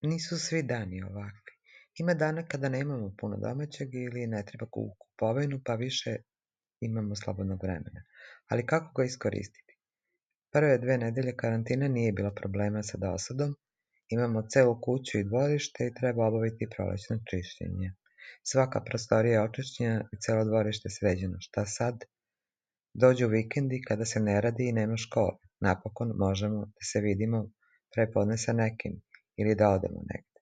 Nisu svi dani ovakvi. Ima dana kada nemamo puno domaćeg ili ne treba u kupovinu, pa više imamo slobodnog vremena. Ali kako ga iskoristiti? Prve 2 nedelje karantina nije bilo problema sa dosadom, imamo celu kuću i dvorište i treba obaviti prolećno čišćenje. Svaka prostorija je očišćena i celo dvorište sređeno. Šta sad? Dođu vikendi kada se ne radi i nema škole. Napokon možemo da se vidimo prepodne sa nekim ili da odemo negde.